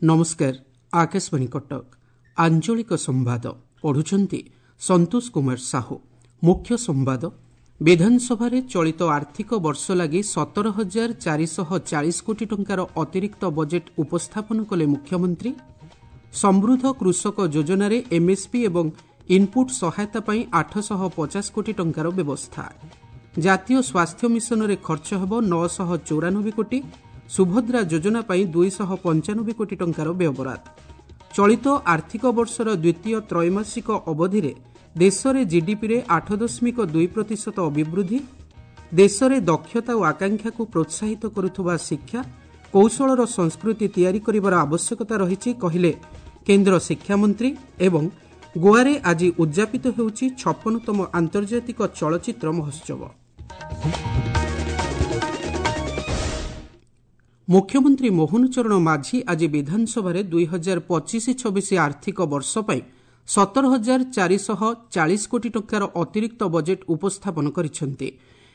ନମସ୍କାର, ଆକାଶବାଣୀ କଟକ। ଆଞ୍ଚଳିକ ସମ୍ବାଦ ପଢୁଛନ୍ତି ସନ୍ତୋଷ କୁମାର ସାହୁ। ମୁଖ୍ୟ ସମ୍ବାଦ। ବିଧାନସଭାରେ ଚଳିତ ଆର୍ଥିକ ବର୍ଷ ଲାଗି 17,440 କୋଟି ଟଙ୍କାର ଅତିରିକ୍ତ ବଜେଟ୍ ଉପସ୍ଥାପନ କଲେ ମୁଖ୍ୟମନ୍ତ୍ରୀ। ସମୃଦ୍ଧ କୃଷକ ଯୋଜନାରେ ଏମ୍ଏସ୍ପି ଏବଂ ଇନ୍ପୁଟ୍ ସହାୟତା ପାଇଁ 850 କୋଟି ଟଙ୍କାର ବ୍ୟବସ୍ଥା। ଜାତୀୟ ସ୍ୱାସ୍ଥ୍ୟ ମିଶନରେ ଖର୍ଚ୍ଚ ହେବ 994 କୋଟି, ସୁଭଦ୍ରା ଯୋଜନା ପାଇଁ 295 କୋଟି ଟଙ୍କାର ବ୍ୟୟବରାଦ। ଚଳିତ ଆର୍ଥିକ ବର୍ଷର ଦ୍ୱିତୀୟ ତ୍ରୈମାସିକ ଅବଧିରେ ଦେଶରେ ଜିଡିପିରେ 8.2% ଅଭିବୃଦ୍ଧି। ଦେଶରେ ଦକ୍ଷତା ଓ ଆକାଂକ୍ଷାକୁ ପ୍ରୋତ୍ସାହିତ କରୁଥିବା ଶିକ୍ଷା କୌଶଳର ସଂସ୍କୃତି ତିଆରି କରିବାର ଆବଶ୍ୟକତା ରହିଛି, କହିଲେ କେନ୍ଦ୍ର ଶିକ୍ଷାମନ୍ତ୍ରୀ। ଏବଂ ଗୋଆରେ ଆଜି ଉଦ୍ଯାପିତ ହେଉଛି 56ତମ ଆନ୍ତର୍ଜାତିକ ଚଳଚ୍ଚିତ୍ର ମହୋତ୍ସବ। ମୁଖ୍ୟମନ୍ତ୍ରୀ ମୋହନ ଚରଣ ମାଝୀ ଆଜି ବିଧାନସଭାରେ 2025-26 ଆର୍ଥିକ ବର୍ଷ ପାଇଁ 17,440 କୋଟି ଟଙ୍କାର ଅତିରିକ୍ତ ବଜେଟ୍ ଉପସ୍ଥାପନ କରିଛନ୍ତି।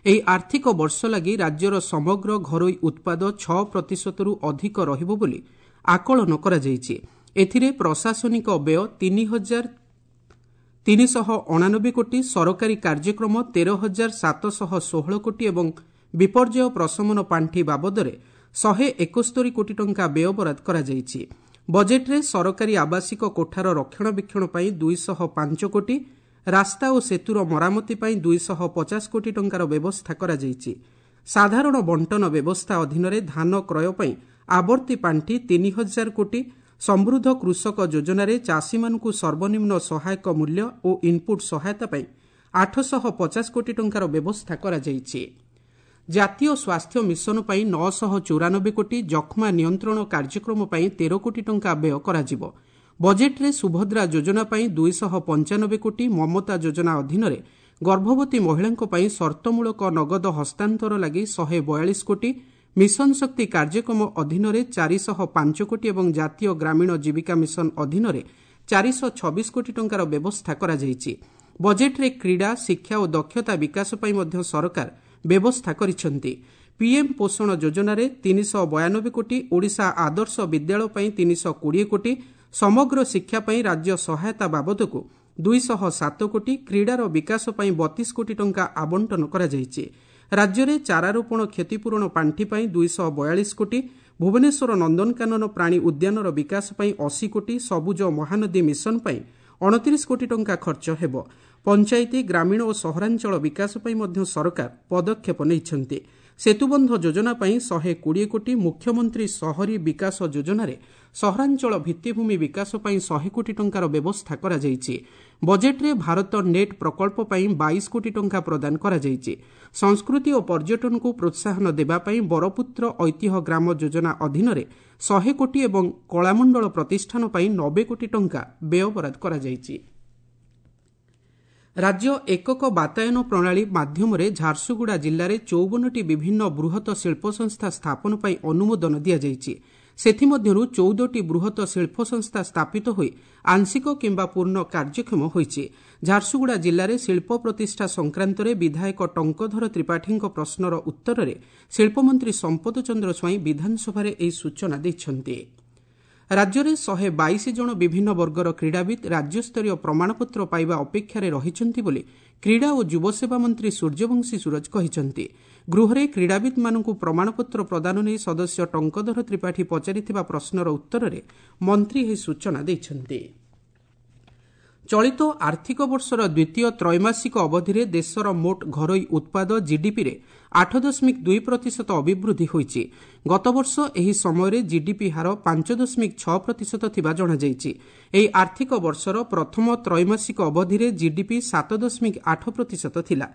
ଏହି ଆର୍ଥିକ ବର୍ଷ ଲାଗି ରାଜ୍ୟର ସମଗ୍ର ଘରୋଇ ଉତ୍ପାଦ 6 ପ୍ରତିଶତରୁ ଅଧିକ ରହିବ ବୋଲି ଆକଳନ କରାଯାଇଛି। ଏଥିରେ ପ୍ରଶାସନିକ ବ୍ୟୟ 3,389 କୋଟି, ସରକାରୀ କାର୍ଯ୍ୟକ୍ରମ 13,716 କୋଟି ଏବଂ ବିପର୍ଯ୍ୟୟ ପ୍ରଶମନ ପାଣ୍ଠି ବାବଦରେ 171 କୋଟି ଟଙ୍କା ବ୍ୟୟବରାଦ କରାଯାଇଛି। ବଜେଟ୍ରେ ସରକାରୀ ଆବାସିକ କୋଠାର ରକ୍ଷଣାବେକ୍ଷଣ ପାଇଁ 205 କୋଟି, ରାସ୍ତା ଓ ସେତୁର ମରାମତି ପାଇଁ 250 କୋଟି ଟଙ୍କାର ବ୍ୟବସ୍ଥା କରାଯାଇଛି। ସାଧାରଣ ବଣ୍ଟନ ବ୍ୟବସ୍ଥା ଅଧୀନରେ ଧାନ କ୍ରୟ ପାଇଁ ଆବର୍ତ୍ତୀ ପାଣ୍ଠି 3,000 କୋଟି, ସମୃଦ୍ଧ କୃଷକ ଯୋଜନାରେ ଚାଷୀମାନଙ୍କୁ ସର୍ବନିମ୍ନ ସହାୟକ ମୂଲ୍ୟ ଓ ଇନ୍ପୁଟ୍ ସହାୟତା ପାଇଁ 850 କୋଟି ଟଙ୍କାର ବ୍ୟବସ୍ଥା କରାଯାଇଛି। ଜାତୀୟ ସ୍ୱାସ୍ଥ୍ୟ ମିଶନ ପାଇଁ 994 କୋଟି, ଯକ୍ଷ୍ମା ନିୟନ୍ତ୍ରଣ କାର୍ଯ୍ୟକ୍ରମ ପାଇଁ 13 କୋଟି ଟଙ୍କା ବ୍ୟୟ କରାଯିବ। ବଜେଟ୍ରେ ସୁଭଦ୍ରା ଯୋଜନା ପାଇଁ 295 କୋଟି, ମମତା ଯୋଜନା ଅଧୀନରେ ଗର୍ଭବତୀ ମହିଳାଙ୍କ ପାଇଁ ସର୍ତ୍ତମୂଳକ ନଗଦ ହସ୍ତାନ୍ତର ଲାଗି 142 କୋଟି, ମିଶନ ଶକ୍ତି କାର୍ଯ୍ୟକ୍ରମ ଅଧୀନରେ 405 କୋଟି ଏବଂ ଜାତୀୟ ଗ୍ରାମୀଣ ଜୀବିକା ମିଶନ ଅଧୀନରେ 426 କୋଟି ଟଙ୍କାର ବ୍ୟବସ୍ଥା କରାଯାଇଛି। ବଜେଟ୍ରେ କ୍ରୀଡ଼ା, ଶିକ୍ଷା ଓ ଦକ୍ଷତା ବିକାଶ ପାଇଁ ମଧ୍ୟ ସରକାର ବ୍ୟବସ୍ଥା କରିଛନ୍ତି। ପିଏମ୍ ପୋଷଣ ଯୋଜନାରେ 392 କୋଟି, ଓଡ଼ିଶା ଆଦର୍ଶ ବିଦ୍ୟାଳୟ ପାଇଁ 320 କୋଟି, ସମଗ୍ର ଶିକ୍ଷା ପାଇଁ ରାଜ୍ୟ ସହାୟତା ବାବଦକୁ 207 କୋଟି, କ୍ରୀଡ଼ାର ବିକାଶ ପାଇଁ 32 କୋଟି ଟଙ୍କା ଆବଣ୍ଟନ କରାଯାଇଛି। ରାଜ୍ୟରେ ଚାରାରୋପଣ କ୍ଷତିପୂରଣ ପାଣ୍ଠି ପାଇଁ 242 କୋଟି, ଭୁବନେଶ୍ୱର ନନ୍ଦନକାନନ ପ୍ରାଣୀ ଉଦ୍ୟାନର ବିକାଶ ପାଇଁ 80 କୋଟି, ସବୁଜ ମହାନଦୀ ମିଶନ ପାଇଁ 29 କୋଟି ଟଙ୍କା ଖର୍ଚ୍ଚ ହେବ। ପଞ୍ଚାୟତି, ଗ୍ରାମୀଣ ଓ ସହରାଞ୍ଚଳ ବିକାଶ ପାଇଁ ମଧ୍ୟ ସରକାର ପଦକ୍ଷେପ ନେଇଛନ୍ତି। ସେତୁବନ୍ଧ ଯୋଜନା ପାଇଁ 120 କୋଟି, ମୁଖ୍ୟମନ୍ତ୍ରୀ ସହରୀ ବିକାଶ ଯୋଜନାରେ ସହରାଞ୍ଚଳ ଭିତ୍ତିଭୂମି ବିକାଶ ପାଇଁ 100 କୋଟି ଟଙ୍କାର ବ୍ୟବସ୍ଥା କରାଯାଇଛି। ବଜେଟ୍ରେ ଭାରତ ନେଟ୍ ପ୍ରକଳ୍ପ ପାଇଁ 22 କୋଟି ଟଙ୍କା ପ୍ରଦାନ କରାଯାଇଛି। ସଂସ୍କୃତି ଓ ପର୍ଯ୍ୟଟନକୁ ପ୍ରୋତ୍ସାହନ ଦେବା ପାଇଁ ବରପୁତ୍ର ଐତିହ୍ୟ ଗ୍ରାମ ଯୋଜନା ଅଧୀନରେ 100 କୋଟି ଏବଂ କଳାମଣ୍ଡଳ ପ୍ରତିଷ୍ଠାନ ପାଇଁ 90 କୋଟି ଟଙ୍କା ବ୍ୟୟବରାଦ କରାଯାଇଛି। ରାଜ୍ୟ ଏକକ ବାତାୟନ ପ୍ରଣାଳୀ ମାଧ୍ୟମରେ ଝାରସୁଗୁଡ଼ା ଜିଲ୍ଲାରେ 54ଟି ବିଭିନ୍ନ ବୃହତ ଶିଳ୍ପ ସଂସ୍ଥା ସ୍ଥାପନ ପାଇଁ ଅନୁମୋଦନ ଦିଆଯାଇଛି। ସେଥିମଧ୍ୟରୁ 14ଟି ବୃହତ ଶିଳ୍ପ ସଂସ୍ଥା ସ୍ଥାପିତ ହୋଇ ଆଂଶିକ କିମ୍ବା ପୂର୍ଣ୍ଣ କାର୍ଯ୍ୟକ୍ଷମ ହୋଇଛି। ଝାରସୁଗୁଡ଼ା ଜିଲ୍ଲାରେ ଶିଳ୍ପ ପ୍ରତିଷ୍ଠା ସଂକ୍ରାନ୍ତରେ ବିଧାୟକ ଟଙ୍କଧର ତ୍ରିପାଠୀଙ୍କ ପ୍ରଶ୍ନର ଉତ୍ତରରେ ଶିଳ୍ପମନ୍ତ୍ରୀ ସମ୍ପଦ ଚନ୍ଦ୍ର ସ୍ୱାଇଁ ବିଧାନସଭାରେ ଏହି ସୂଚନା ଦେଇଛନ୍ତି। ରାଜ୍ୟରେ 122 ଜଣ ବିଭିନ୍ନ ବର୍ଗର କ୍ରୀଡ଼ାବିତ୍ ରାଜ୍ୟସ୍ତରୀୟ ପ୍ରମାଣପତ୍ର ପାଇବା ଅପେକ୍ଷାରେ ରହିଛନ୍ତି ବୋଲି କ୍ରୀଡ଼ା ଓ ଯୁବସେବା ମନ୍ତ୍ରୀ ସୂର୍ଯ୍ୟବଂଶୀ ସୂରଜ କହିଛନ୍ତି। ଗୃହରେ କ୍ରୀଡ଼ାବିତ୍ମାନଙ୍କୁ ପ୍ରମାଣପତ୍ର ପ୍ରଦାନ ନେଇ ସଦସ୍ୟ ଟଙ୍କଧର ତ୍ରିପାଠୀ ପଚାରିଥିବା ପ୍ରଶ୍ନର ଉତ୍ତରରେ ମନ୍ତ୍ରୀ ଏହି ସୂଚନା ଦେଇଛନ୍ତି। ଚଳିତ ଆର୍ଥିକ ବର୍ଷର ଦ୍ୱିତୀୟ ତ୍ରୈମାସିକ ଅବଧିରେ ଦେଶର ମୋଟ ଘରୋଇ ଉତ୍ପାଦ ଜିଡିପିରେ 8.2% ଅଭିବୃଦ୍ଧି ହୋଇଛି। ଗତବର୍ଷ ଏହି ସମୟରେ ଜିଡିପି ହାର 5.6% ଥିବା ଜଣାଯାଇଛି। ଏହି ଆର୍ଥିକ ବର୍ଷର ପ୍ରଥମ ତ୍ରୈମାସିକ ଅବଧିରେ ଜିଡିପି 7.8% ଥିଲା।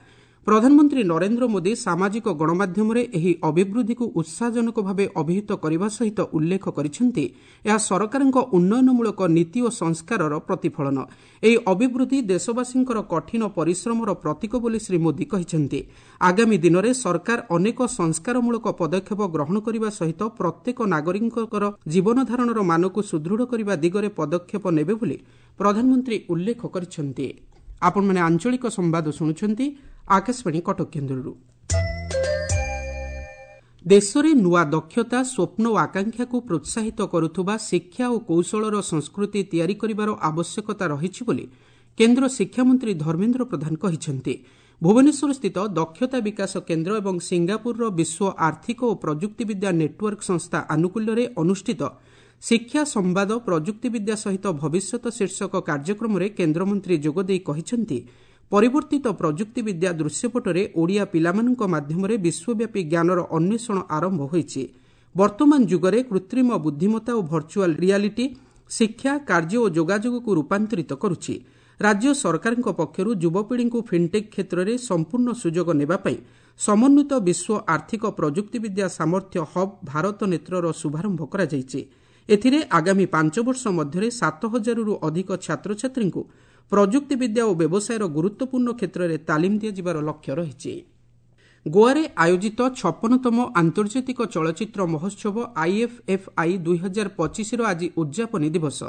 ପ୍ରଧାନମନ୍ତ୍ରୀ ନରେନ୍ଦ୍ର ମୋଦି ସାମାଜିକ ଗଣମାଧ୍ୟମରେ ଏହି ଅଭିବୃଦ୍ଧିକୁ ଉତ୍ସାହଜନକ ଭାବେ ଅଭିହିତ କରିବା ସହିତ ଉଲ୍ଲେଖ କରିଛନ୍ତି, ଏହା ସରକାରଙ୍କ ଉନ୍ନୟନମୂଳକ ନୀତି ଓ ସଂସ୍କାରର ପ୍ରତିଫଳନ। ଏହି ଅଭିବୃଦ୍ଧି ଦେଶବାସୀଙ୍କର କଠିନ ପରିଶ୍ରମର ପ୍ରତୀକ ବୋଲି ଶ୍ରୀ ମୋଦି କହିଛନ୍ତି। ଆଗାମୀ ଦିନରେ ସରକାର ଅନେକ ସଂସ୍କାରମୂଳକ ପଦକ୍ଷେପ ଗ୍ରହଣ କରିବା ସହିତ ପ୍ରତ୍ୟେକ ନାଗରିକଙ୍କର ଜୀବନଧାରଣର ମାନକୁ ସୁଦୃଢ଼ କରିବା ଦିଗରେ ପଦକ୍ଷେପ ନେବେ ବୋଲି ପ୍ରଧାନମନ୍ତ୍ରୀ ଉଲ୍ଲେଖ କରିଛନ୍ତି। ଆପଣମାନେ ଆଞ୍ଚଳିକ ସମ୍ବାଦ ଶୁଣୁଛନ୍ତି ଆକାଶବାଣୀ କଟକ କେନ୍ଦ୍ରରୁ। ଦେଶରେ ନୂଆ ଦକ୍ଷତା, ସ୍ୱପ୍ନ ଓ ଆକାଂକ୍ଷାକୁ ପ୍ରୋତ୍ସାହିତ କରୁଥିବା ଶିକ୍ଷା ଓ କୌଶଳର ସଂସ୍କୃତି ତିଆରି କରିବାର ଆବଶ୍ୟକତା ରହିଛି ବୋଲି କେନ୍ଦ୍ର ଶିକ୍ଷାମନ୍ତ୍ରୀ ଧର୍ମେନ୍ଦ୍ର ପ୍ରଧାନ କହିଛନ୍ତି। ଭୁବନେଶ୍ୱରସ୍ଥିତ ଦକ୍ଷତା ବିକାଶ କେନ୍ଦ୍ର ଏବଂ ସିଙ୍ଗାପୁରର ବିଶ୍ୱ ଆର୍ଥିକ ଓ ପ୍ରଯୁକ୍ତିବିଦ୍ୟା ନେଟୱାର୍କ ସଂସ୍ଥା ଆନୁକୂଲ୍ୟରେ ଅନୁଷ୍ଠିତ ଶିକ୍ଷା ସମ୍ବାଦ ପ୍ରଯୁକ୍ତିବିଦ୍ୟା ସହିତ ଭବିଷ୍ୟତ ଶୀର୍ଷକ କାର୍ଯ୍ୟକ୍ରମରେ କେନ୍ଦ୍ରମନ୍ତ୍ରୀ ଯୋଗଦେଇ କହିଛନ୍ତି, ପରିବର୍ତ୍ତିତ ପ୍ରଯୁକ୍ତିବିଦ୍ୟା ଦୃଶ୍ୟପଟରେ ଓଡ଼ିଆ ପିଲାମାନଙ୍କ ମାଧ୍ୟମରେ ବିଶ୍ୱବ୍ୟାପୀ ଜ୍ଞାନର ଅନ୍ୱେଷଣ ଆରମ୍ଭ ହୋଇଛି। ବର୍ତ୍ତମାନ ଯୁଗରେ କୃତ୍ରିମ ବୁଦ୍ଧିମତ୍ତା ଓ ଭର୍ଚୁଆଲ୍ ରିଆଲିଟି ଶିକ୍ଷା, କାର୍ଯ୍ୟ ଓ ଯୋଗାଯୋଗକୁ ରୂପାନ୍ତରିତ କରୁଛି। ରାଜ୍ୟ ସରକାରଙ୍କ ପକ୍ଷରୁ ଯୁବପିଢ଼ିଙ୍କୁ ଫିନ୍ଟେକ୍ କ୍ଷେତ୍ରରେ ସମ୍ପୂର୍ଣ୍ଣ ସୁଯୋଗ ନେବା ପାଇଁ ସମନ୍ୱିତ ବିଶ୍ୱ ଆର୍ଥିକ ପ୍ରଯୁକ୍ତିବିଦ୍ୟା ସାମର୍ଥ୍ୟ ହବ୍ ଭାରତ ନେତ୍ରର ଶୁଭାରମ୍ଭ କରାଯାଇଛି। ଏଥିରେ ଆଗାମୀ 5 ବର୍ଷ ମଧ୍ୟରେ 7,000ରୁ ଅଧିକ ଛାତ୍ରଛାତ୍ରୀଙ୍କୁ ପ୍ରଯୁକ୍ତିବିଦ୍ୟା ଓ ବ୍ୟବସାୟର ଗୁରୁତ୍ୱପୂର୍ଣ୍ଣ କ୍ଷେତ୍ରରେ ତାଲିମ ଦିଆଯିବାର ଲକ୍ଷ୍ୟ ରହିଛି। ଗୋଆରେ ଆୟୋଜିତ 56ତମ ଆନ୍ତର୍ଜାତିକ ଚଳଚ୍ଚିତ୍ର ମହୋତ୍ସବ ଆଇଏଫ୍ଏଫ୍ଆଇ 2025ର ଆଜି ଉଦ୍ଯାପନୀ ଦିବସ।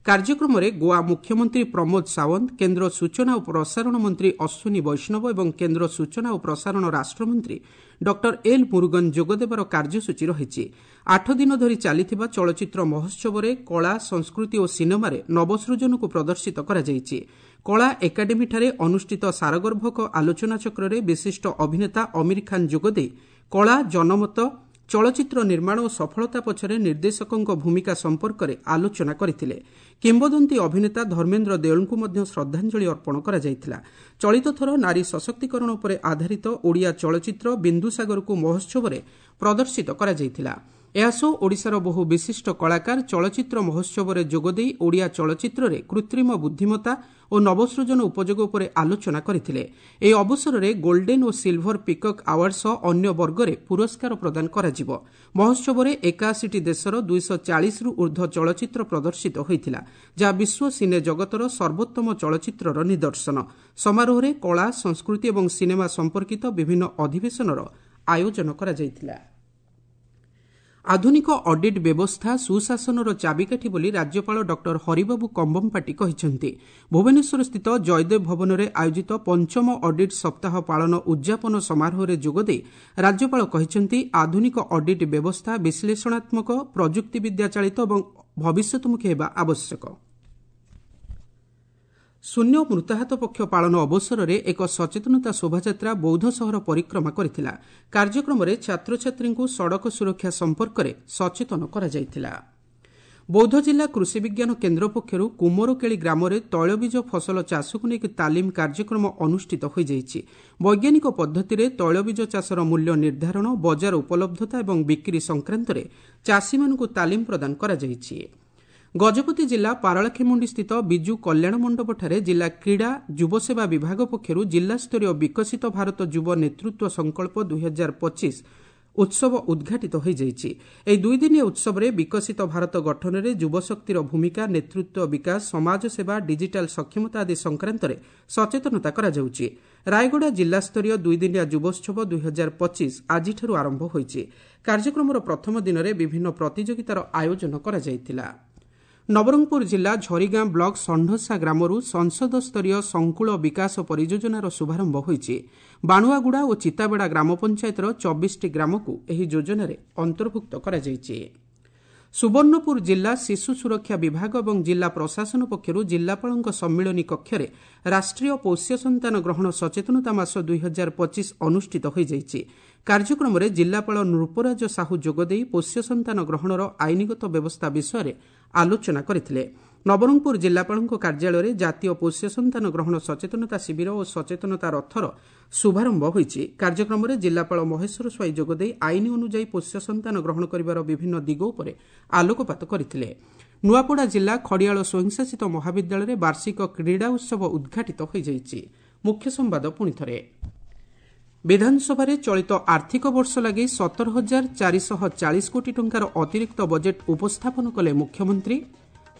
କାର୍ଯ୍ୟକ୍ରମରେ ଗୋଆ ମୁଖ୍ୟମନ୍ତ୍ରୀ ପ୍ରମୋଦ ସାୱନ୍ତ, କେନ୍ଦ୍ର ସୂଚନା ଓ ପ୍ରସାରଣ ମନ୍ତ୍ରୀ ଅଶ୍ୱିନୀ ବୈଷ୍ଣବ ଏବଂ କେନ୍ଦ୍ର ସୂଚନା ଓ ପ୍ରସାରଣ ରାଷ୍ଟ୍ରମନ୍ତ୍ରୀ ଡକ୍ଟର ଏଲ୍ ମୁରୁଗନ୍ ଯୋଗଦେବାର କାର୍ଯ୍ୟସୂଚୀ ରହିଛି। 8 ଦିନ ଧରି ଚାଲିଥିବା ଚଳଚ୍ଚିତ୍ର ମହୋତ୍ସବରେ କଳା, ସଂସ୍କୃତି ଓ ସିନେମାରେ ନବସୃଜନକୁ ପ୍ରଦର୍ଶିତ କରାଯାଇଛି। କଳା ଏକାଡେମୀଠାରେ ଅନୁଷ୍ଠିତ ସାରଗର୍ଭକ ଆଲୋଚନାଚକ୍ରରେ ବିଶିଷ୍ଟ ଅଭିନେତା ଅମୀର ଖାନ୍ ଯୋଗଦେଇ କଳା, ଜନମତ, ଚଳଚ୍ଚିତ୍ର ନିର୍ମାଣ ଓ ସଫଳତା ପଛରେ ନିର୍ଦ୍ଦେଶକଙ୍କ ଭୂମିକା ସମ୍ପର୍କରେ ଆଲୋଚନା କରିଥିଲେ। କିମ୍ବଦନ୍ତୀ ଅଭିନେତା ଧର୍ମେନ୍ଦ୍ର ଦେଓଲଙ୍କୁ ମଧ୍ୟ ଶ୍ରଦ୍ଧାଞ୍ଜଳି ଅର୍ପଣ କରାଯାଇଥିଲା। ଚଳିତ ଥର ନାରୀ ସଶକ୍ତିକରଣ ଉପରେ ଆଧାରିତ ଓଡ଼ିଆ ଚଳଚ୍ଚିତ୍ର ବିନ୍ଦୁସାଗରକୁ ମହୋତ୍ସବରେ ପ୍ରଦର୍ଶିତ କରାଯାଇଥିଲା। ଏହାସହ ଓଡ଼ିଶାର ବହୁ ବିଶିଷ୍ଟ କଳାକାର ଚଳଚ୍ଚିତ୍ର ମହୋତ୍ସବରେ ଯୋଗଦେଇ ଓଡ଼ିଆ ଚଳଚ୍ଚିତ୍ରରେ କୃତ୍ରିମ ବୁଦ୍ଧିମତ୍ତା ଓ ନବସୃଜନ ଉପଯୋଗ ଉପରେ ଆଲୋଚନା କରିଥିଲେ। ଏହି ଅବସରରେ ଗୋଲ୍ଡେନ୍ ଓ ସିଲଭର ପିକକ୍ ଆୱାର୍ଡ ସହ ଅନ୍ୟ ବର୍ଗରେ ପୁରସ୍କାର ପ୍ରଦାନ କରାଯିବ। ମହୋତ୍ସବରେ 81ଟି ଦେଶର 240ରୁ ଉର୍ଦ୍ଧ୍ୱ ଚଳଚ୍ଚିତ୍ର ପ୍ରଦର୍ଶିତ ହୋଇଥିଲା, ଯାହା ବିଶ୍ୱ ସିନେ ଜଗତର ସର୍ବୋତ୍ତମ ଚଳଚ୍ଚିତ୍ରର ନିଦର୍ଶନ। ସମାରୋହରେ କଳା, ସଂସ୍କୃତି ଏବଂ ସିନେମା ସମ୍ପର୍କିତ ବିଭିନ୍ନ ଅଧିବେଶନର ଆୟୋଜନ କରାଯାଇଥିଲା। ଆଧୁନିକ ଅଡିଟ୍ ବ୍ୟବସ୍ଥା ସୁଶାସନର ଚାବିକାଠି ବୋଲି ରାଜ୍ୟପାଳ ଡକ୍ଟର ହରିବାବୁ କମ୍ବମପାଟି କହିଛନ୍ତି। ଭୁବନେଶ୍ୱରସ୍ଥିତ ଜୟଦେବ ଭବନରେ ଆୟୋଜିତ ପଞ୍ଚମ ଅଡିଟ୍ ସପ୍ତାହ ପାଳନ ଉଦ୍ଯାପନ ସମାରୋହରେ ଯୋଗଦେଇ ରାଜ୍ୟପାଳ କହିଛନ୍ତି, ଆଧୁନିକ ଅଡିଟ୍ ବ୍ୟବସ୍ଥା ବିଶ୍ଳେଷଣାତ୍ମକ, ପ୍ରଯୁକ୍ତିବିଦ୍ୟା ଚାଳିତ ଏବଂ ଭବିଷ୍ୟତମୁଖୀ ହେବା ଆବଶ୍ୟକ। ଶୂନ୍ୟ ମୃତାହତ ପକ୍ଷ ପାଳନ ଅବସରରେ ଏକ ସଚେତନତା ଶୋଭାଯାତ୍ରା ବୌଦ୍ଧ ସହର ପରିକ୍ରମା କରିଥିଲା। କାର୍ଯ୍ୟକ୍ରମରେ ଛାତ୍ରଛାତ୍ରୀଙ୍କୁ ସଡ଼କ ସୁରକ୍ଷା ସମ୍ପର୍କରେ ସଚେତନ କରାଯାଇଥିଲା। ବୌଦ୍ଧ ଜିଲ୍ଲା କୃଷି ବିଜ୍ଞାନ କେନ୍ଦ୍ର ପକ୍ଷରୁ କୁମରକେଳି ଗ୍ରାମରେ ତୈଳବୀଜ ଫସଲ ଚାଷକୁ ନେଇ ତାଲିମ କାର୍ଯ୍ୟକ୍ରମ ଅନୁଷ୍ଠିତ ହୋଇଯାଇଛି। ବୈଜ୍ଞାନିକ ପଦ୍ଧତିରେ ତୈଳବୀଜ ଚାଷର ମୂଲ୍ୟ ନିର୍ଦ୍ଧାରଣ, ବଜାର ଉପଲବ୍ଧତା ଏବଂ ବିକ୍ରି ସଂକ୍ରାନ୍ତରେ ଚାଷୀମାନଙ୍କୁ ତାଲିମ ପ୍ରଦାନ କରାଯାଇଛି। ଗଜପତି ଜିଲ୍ଲା ପାରଳାଖେମୁଣ୍ଡିସ୍ଥିତ ବିଜୁ କଲ୍ୟାଣ ମଣ୍ଡପଠାରେ ଜିଲ୍ଲା କ୍ରୀଡ଼ା ଯୁବସେବା ବିଭାଗ ପକ୍ଷରୁ ଜିଲ୍ଲାସ୍ତରୀୟ ବିକଶିତ ଭାରତ ଯୁବ ନେତୃତ୍ୱ ସଂକଳ୍ପ 2025 ଉତ୍ସବ ଉଦ୍ଘାଟିତ ହୋଇଯାଇଛି। ଏହି ଦୁଇଦିନିଆ ଉତ୍ସବରେ ବିକଶିତ ଭାରତ ଗଠନରେ ଯୁବଶକ୍ତିର ଭୂମିକା, ନେତୃତ୍ୱ ବିକାଶ, ସମାଜସେବା, ଡିଜିଟାଲ ସକ୍ଷମତା ଆଦି ସଂକ୍ରାନ୍ତରେ ସଚେତନତା କରାଯାଉଛି। ରାୟଗଡ଼ା ଜିଲ୍ଲାସ୍ତରୀୟ ଦୁଇଦିନିଆ ଯୁବୋତ୍ସବ 2025 ଆଜିଠାରୁ ଆରମ୍ଭ ହୋଇଛି। କାର୍ଯ୍ୟକ୍ରମର ପ୍ରଥମ ଦିନରେ ବିଭିନ୍ନ ପ୍ରତିଯୋଗିତାର ଆୟୋଜନ କରାଯାଇଥିଲା। ନବରଙ୍ଗପୁର ଜିଲ୍ଲା ଝରିଗାଁ ବ୍ଲକ ଷଣ୍ଢସା ଗ୍ରାମରୁ ସଂସଦ ସ୍ତରୀୟ ସଂକୁଳ ବିକାଶ ପରିଯୋଜନାର ଶୁଭାରମ୍ଭ ହୋଇଛି। ବାଣୁଆଗୁଡ଼ା ଓ ଚିତାବେଡ଼ା ଗ୍ରାମପଞ୍ଚାୟତର 24ଟି ଗ୍ରାମକୁ ଏହି ଯୋଜନାରେ ଅନ୍ତର୍ଭୁକ୍ତ କରାଯାଇଛି। ସୁବର୍ଣ୍ଣପୁର ଜିଲ୍ଲା ଶିଶୁ ସୁରକ୍ଷା ବିଭାଗ ଏବଂ ଜିଲ୍ଲା ପ୍ରଶାସନ ପକ୍ଷରୁ ଜିଲ୍ଲାପାଳଙ୍କ ସମ୍ମିଳନୀ କକ୍ଷରେ ରାଷ୍ଟ୍ରୀୟ ପୋଷ୍ୟ ସନ୍ତାନ ଗ୍ରହଣ ସଚେତନତା ମାସ 2025 ଅନୁଷ୍ଠିତ ହୋଇଯାଇଛି। କାର୍ଯ୍ୟକ୍ରମରେ ଜିଲ୍ଲାପାଳ ନୃପରାଜ ସାହୁ ଯୋଗଦେଇ ପୋଷ୍ୟ ସନ୍ତାନ ଗ୍ରହଣର ଆଇନଗତ ବ୍ୟବସ୍ଥା ବିଷୟରେ ଆଲୋଚନା କରିଥିଲେ। ନବରଙ୍ଗପୁର ଜିଲ୍ଲାପାଳଙ୍କ କାର୍ଯ୍ୟାଳୟରେ ଜାତୀୟ ପୋଷ୍ୟ ସନ୍ତାନ ଗ୍ରହଣ ସଚେତନତା ଶିବିର ଓ ସଚେତନତା ରଥର ଶୁଭାରମ୍ଭ ହୋଇଛି। କାର୍ଯ୍ୟକ୍ରମରେ ଜିଲ୍ଲାପାଳ ମହେଶ୍ୱର ସ୍ୱାଇଁ ଯୋଗଦେଇ ଆଇନ ଅନୁଯାୟୀ ପୋଷ୍ୟ ସନ୍ତାନ ଗ୍ରହଣ କରିବାର ବିଭିନ୍ନ ଦିଗ ଉପରେ ଆଲୋକପାତ କରିଥିଲେ। ନୂଆପଡ଼ା ଜିଲ୍ଲା ଖଡ଼ିଆଳ ସ୍ୱୟଂଶାସିତ ମହାବିଦ୍ୟାଳୟରେ ବାର୍ଷିକ କ୍ରୀଡ଼ା ଉତ୍ସବ ଉଦ୍ଘାଟିତ ହୋଇଯାଇଛି। ମୁଖ୍ୟ ସମ୍ବାଦ ପୁଣିଥରେ। ବିଧାନସଭାରେ ଚଳିତ ଆର୍ଥିକ ବର୍ଷ ଲାଗି 17,440 କୋଟି ଟଙ୍କାର ଅତିରିକ୍ତ ବଜେଟ୍ ଉପସ୍ଥାପନ କଲେ ମୁଖ୍ୟମନ୍ତ୍ରୀ।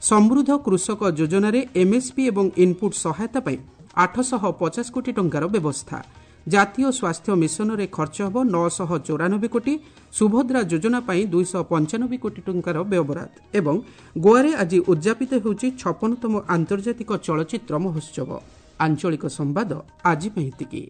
ସମୃଦ୍ଧ କୃଷକ ଯୋଜନାରେ ଏମ୍ଏସ୍ପି ଏବଂ ଇନ୍ପୁଟ୍ ସହାୟତା ପାଇଁ 850 କୋଟି ଟଙ୍କାର ବ୍ୟବସ୍ଥା। ଜାତୀୟ ସ୍ୱାସ୍ଥ୍ୟ ମିଶନରେ ଖର୍ଚ୍ଚ ହେବ 994 କୋଟି। ସୁଭଦ୍ରା ଯୋଜନା ପାଇଁ 295 କୋଟି ଟଙ୍କାର ବ୍ୟୟବରାଦ। ଏବଂ ଗୋଆରେ ଆଜି ଉଦ୍ଯାପିତ ହେଉଛି 56ତମ ଆନ୍ତର୍ଜାତିକ ଚଳଚ୍ଚିତ୍ର ମହୋତ୍ସବ। ଆଞ୍ଚଳିକ ସମ୍ବାଦ ଆଜି ପାଇଁ ଏତିକି।